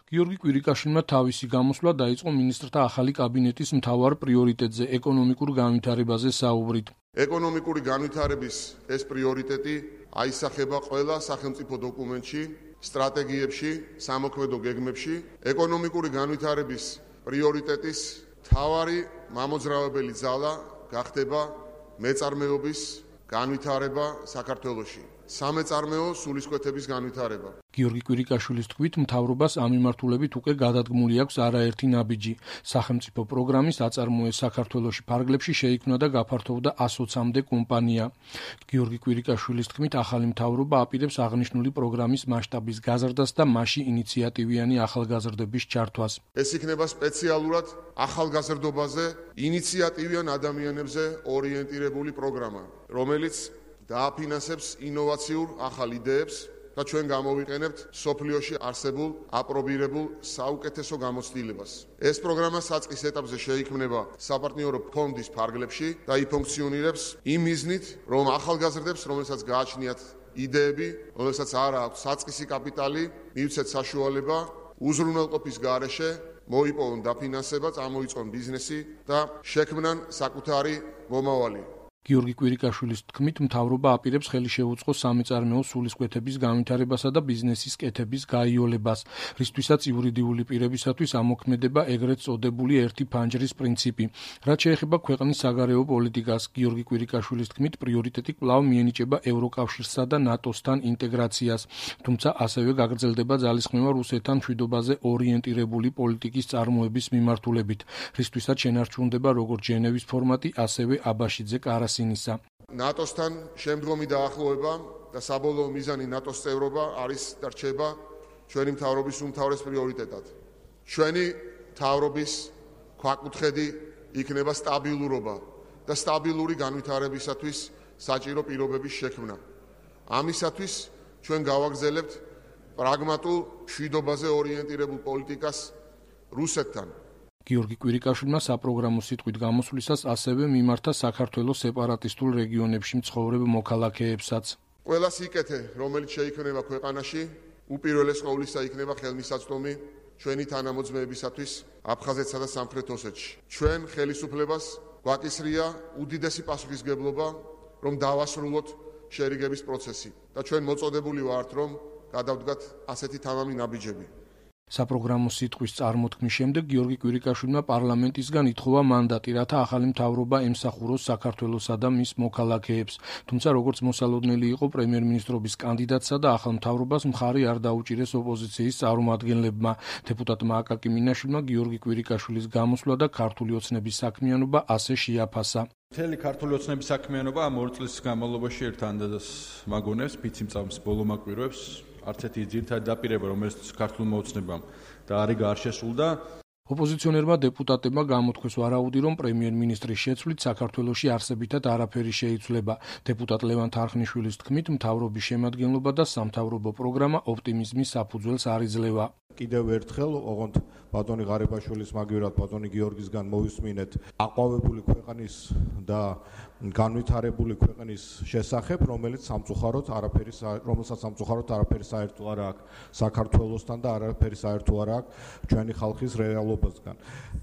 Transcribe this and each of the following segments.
გიორგი კვირიკაშვილმა თავისი გამოსვლა დაიწყო მინისტრთა ახალი კაბინეტის მთავარ პრიორიტეტზე, ეკონომიკურ განვითარებაზე საუბრით. ეკონომიკური განვითარების ეს პრიორიტეტი აისახება ყველა სახელმწიფო დოკუმენტში, სტრატეგიებში, სამოქმედო გეგმებში. ეკონომიკური განვითარების პრიორიტეტის მთავარი მამოძრავებელი ძალა გახდება მეწარმეობის განვითარება საქართველოში. სამეწარმეო სულისკვეთების განვითარება. გიორგი კვირიკაშვილის თქმით, მთავრობას ამ მიმართულებით უკვე გადადგმული აქვს არაერთი ნაბიჯი. სახელმწიფო პროგრამის აწარმოე საქართველოში ფარგლებში შეიქმნა და გაფართოვდა 120-მდე კომპანია. გიორგი კვირიკაშვილის თქმით, ახალი მთავრობა აპირებს აღნიშნული პროგრამის მასშტაბის გაზრდას და მასში ინიციატივიანი ახალგაზრდების ჩართვას. ეს იქნება სპეციალურად ახალგაზრდობაზე, ინიციატივიან ადამიანებზე ორიენტირებული პროგრამა, რომელიც დააფინანსებს ინოვაციურ ახალ იდეებს და ჩვენ გამოვიყენებთ სოფლიოში არსებულ აპრობირებულ საუკეთესო გამოცდილებას. ეს პროგრამა საწყის ეტაპზე შეიქმნება საპარტნიორო ფონდის ფარგლებში და იფუნქციონირებს იმ მიზნით, რომ ახალგაზრდებს, რომელსაც გააჩნიათ იდეები, რომელსაც არ აქვს საწყისი კაპიტალი, მივცეთ საშუალება უზრუნველყოფის გარეშე მოიპოვონ დაფინანსება, წამოიწყონ ბიზნესი და შექმნან საკუთარი მომავალი. გიორგი კვირიკაშვილის თქმით, მთავრობა აპირებს ხელი შეუწყოს სამეწარმეო სულისკვეთების განვითარებასა და ბიზნესის კეთების გაიოლებას, რისთვისაც იურიდიული პირებისათვის ამოქმედება ეგრეთ წოდებული ერთი ფანჯრის პრინციპი. რაც შეეხება ქვეყნის საგარეო პოლიტიკას, გიორგი კვირიკაშვილის თქმით, პრიორიტეტი კვლავ მიენიჭება ევროკავშირსა და ნატოსთან ინტეგრაციას, თუმცა ასევე გაგრძელდება ძალისხმევა რუსეთთან მშვიდობაზე ორიენტირებული პოლიტიკის წარმოების მიმართულებით, რისთვისაც შენარჩუნდება როგორც ჟენევის ფორმატი, ასევე აბაშიძე კარასინისა. ნატოსთან შემდგომი დაახლოება და საბოლოო მიზანი ნატოს წევრობა არის და რჩება ჩვენი მთავრობის უმთავრეს პრიორიტეტად. ჩვენი მთავრობის ქვაკუთხედი იქნება სტაბილურობა და სტაბილური განვითარებისათვის საჭირო პირობების შექმნა. ამისათვის ჩვენ გავაგრძელებთ პრაგმატულ მშვიდობაზე ორიენტირებულ პოლიტიკას რუსეთთან. გიორგი კვირიკაშვილმა საპროგრამო სიტყვით გამოსვლისას ასევე მიმართა საქართველოს სეპარატისტულ რეგიონებში მცხოვრებ მოქალაქეებსაც. ყველა სიკეთე, რომელიც შეიქმნება ქვეყანაში, უპირველეს ყოვლისა იქნება ხელმისაწვდომი ჩვენი თანამოძმეებისათვის აფხაზეთსა და სამხრეთ ოსეთში. ჩვენ ხელისუფლებას გვაკისრია უდიდესი პასუხისმგებლობა, რომ დავასრულოთ შერიგების პროცესი და ჩვენ მოწოდებული ვართ, რომ გადავდგათ ასეთი თამამი ნაბიჯები. საპროგრამო სიტყვის წარმოთქმის შემდეგ გიორგი კვირიკაშვილმა პარლამენტისგან ითხოვა მანდატი, რათა ახალი მთავრობა ემსახუროს საქართველოსა და მის მოქალაქეებს. თუმცა როგორც მოსალოდნელი იყო პრემიერ-მინისტრობის კანდიდატსა და ახალ მთავრობას მხარი არ დაუჭირეს ოპოზიციის წარმომადგენლებმა. დეპუტატმა აკაკი მინაშვილმა გიორგი კვირიკაშვილის გამოსვლა და ქართული ოცნების საქმიანობა ასე შეაფასა. მთელი ქართული ოცნების საქმიანობა ამ 2 წლის განმავლობაში ერთ ანდაზას მაგონებს, ფიციმწამს ბოლომაკვირვებს. არც ერთი ძირითადი დაპირება, რომელიც ქართულმა ოცნებამ და არის არ შესულდა. ოპოზიციონერმა დეპუტატებმა გამოთქვეს ვარაუდი, რომ პრემიერ-მინისტრის შეცვლით საქართველოში არსებითად არაფერი შეიცვლება. დეპუტატ ლევან თარხნიშვილის თქმით, მთავრობის შემადგენლობა და სამთავრობო პროგრამა ოპტიმიზმის საფუძველს არ იძლევა. კიდევ ერთხელ ოღონდ ბატონი ღარიბაშვილის მაგივრად ბატონი გიორგისგან მოვისმინეთ აყვავებული ქვეყნის და განვითარებული ქვეყნის შესახებ, რომელსაც სამწუხაროდ არაფერი საერთო არ აქვს საქართველოსთან და არაფერი საერთო არ აქვს ჩვენი ხალხის რეალობასთან.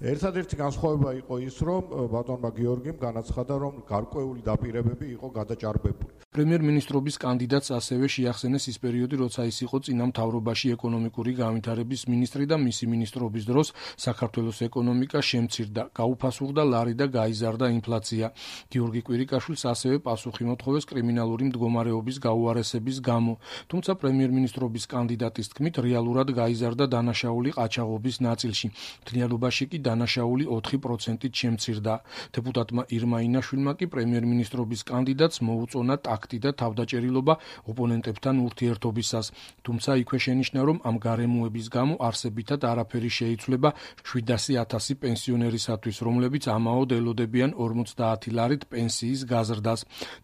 ერთადერთი განსხვავება იყო ის, რომ ბატონმა გიორგიმ განაცხადა, რომ გარკვეული დაპირებები იყო გადაჭარბებული. პრემიერ-მინისტრობის კანდიდატს ასევე შეახსენეს ის პერიოდი, როცა ის იყო წინა მთავრობაში ეკონომიკური განვითარების მინისტრი და მისი მინისტრობის დროს საქართველოს ეკონომიკა შემცირდა, გაუფასურდა ლარი და გაიზარდა ინფლაცია. გიორგი კვირიკაშვილს ასევე პასუხი მოთხოვეს კრიმინალური მდგომარეობის გაუარესების გამო. თუმცა პრემიერ-მინისტრობის კანდიდატის თქმით, რეალურად გაიზარდა დანაშაული ყაჩაღობის ნაწილში. მთლიანობაში კი დანაშაული 4%-ით შემცირდა. დეპუტატმა ირმა ინაშვილმა კი პრემიერ-მინისტრობის კანდიდატს მოუწონა ტაქტი და თავდაჭერილობა ოპონენტებთან ურთიერთობისას. თუმცა იქვე შენიშნა, რომ ამ გარემოების გამო არსებითად არაფერი შეიცვლება 700,000 პენსიონერისათვის, რომლებიც ამაოდ ელოდებიან 50 ლარით პენსიის გაზრდას.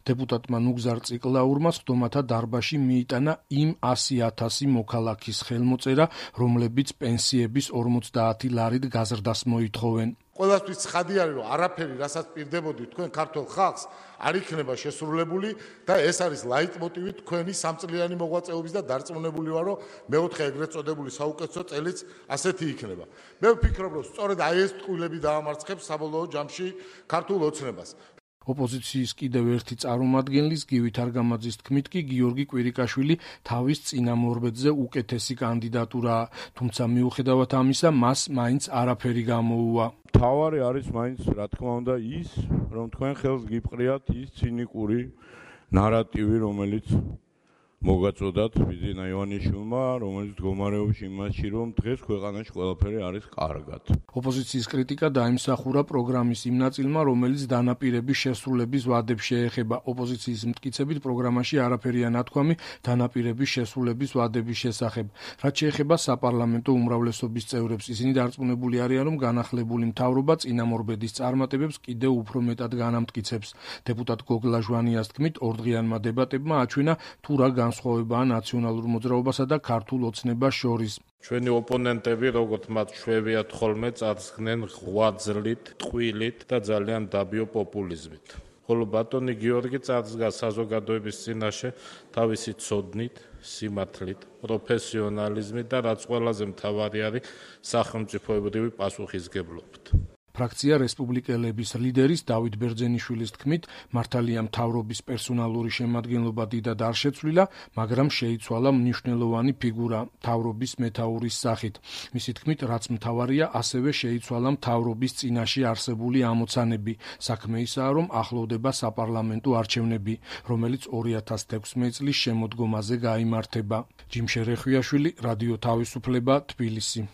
დეპუტატმა ნუგზარ ციკლაურმა სხდომათა დარბაზში მიიტანა იმ 100,000 მოქალაქის ხელმოწერა, რომლებიც პენსიების 50 ლარით გაზრდას მოითხოვენ. ყველასთვის ცხადი არის, რომ არაფერი, რასაც პირდებოდი თქვენ ქართულ ხალხს, არ იქნება შესრულებული და ეს არის ლაიტმოტივი თქვენი სამწლიანი მოღვაწეობის და დარწმუნებული ვარ, რომ მეოთხე ეგრეთ წოდებული საუკეთესო წელიც ასეთი იქნება. მე ვფიქრობ, რომ სწორედ აი ეს ტყუილები დაამარცხებს საბოლოო ჯამში ქართულ ოცნებას. ოპოზიციის კიდევ ერთი წარმომადგენლის გივი თარგამაძის თქმით კი გიორგი კვირიკაშვილი თავის წინამორბედზე უკეთესი კანდიდატურაა, თუმცა მიუხედავად ამისა მას მაინც არაფერი გამოუვა. თავარი არის მაინც რა თქმა უნდა ის, რომ თქვენ ხელს გიპყრიათ ის ცინიკური ნარატივი, რომელიც მოგაწოდათ ბიძინა ივანიშვილმა, რომელიც მდგომარეობს იმაში, რომ დღეს ქვეყანაში ყველაფერი არის კარგად. ოპოზიციის კრიტიკა დაიმსახურა პროგრამის იმ ნაწილმა, რომელიც დანაპირების შესრულების ვადებს შეეხება. ოპოზიციის მტკიცებით პროგრამაში არაფერია ნათქვამი დანაპირების შესრულების ვადების შესახებ. რაც შეეხება საპარლამენტო უმრავლესობის წევრებს, ისინი დარწმუნებული არიან, რომ განახლებული მთავრობა წინამორბედის წარმატებებს კიდევ უფრო მეტად განამტკიცებს. დეპუტატ გოგლა ჟვანიას თქმით, ორდღიანმა დებატებმა აჩვენა თუ რა განსხვავებაა ნაციონალურ მოძრაობასა და ქართულ ოცნებას შორის. ჩვენი ოპონენტები, როგორც მათ შვევიათ ხოლმე, წარსხნენ ღვაწლით, ტყუილით და ძალიან დაბიო პოპულიზმით. ხოლო ბატონი გიორგი წარსდგა საზოგადოების წინაშე თავისი ცოდნით, სიმართლით, პროფესიონალიზმით და რაც ყველაზე მთავარი არის, სახელმწიფოებრივი პასუხისგებლობით. ფრაქცია რესპუბლიკელების ლიდერის დავით ბერძენიშვილის თქმით, მართალია მთავრობის პერსონალური შემადგენლობა დიდად არ შეცვლილა, მაგრამ შეიცვალა მნიშვნელოვანი ფიგურა მთავრობის მეთაურის სახით. მისი თქმით, რაც მთავარია, ასევე შეიცვალა მთავრობის წინაშე არსებული ამოცანები. საქმე ისაა, რომ ახლოვდება საპარლამენტო არჩევნები, რომელიც 2016 წლის შემოდგომაზე გაიმართება. ჯიმშე რეხვიაშვილი, რადიო თავისუფლება, თბილისი.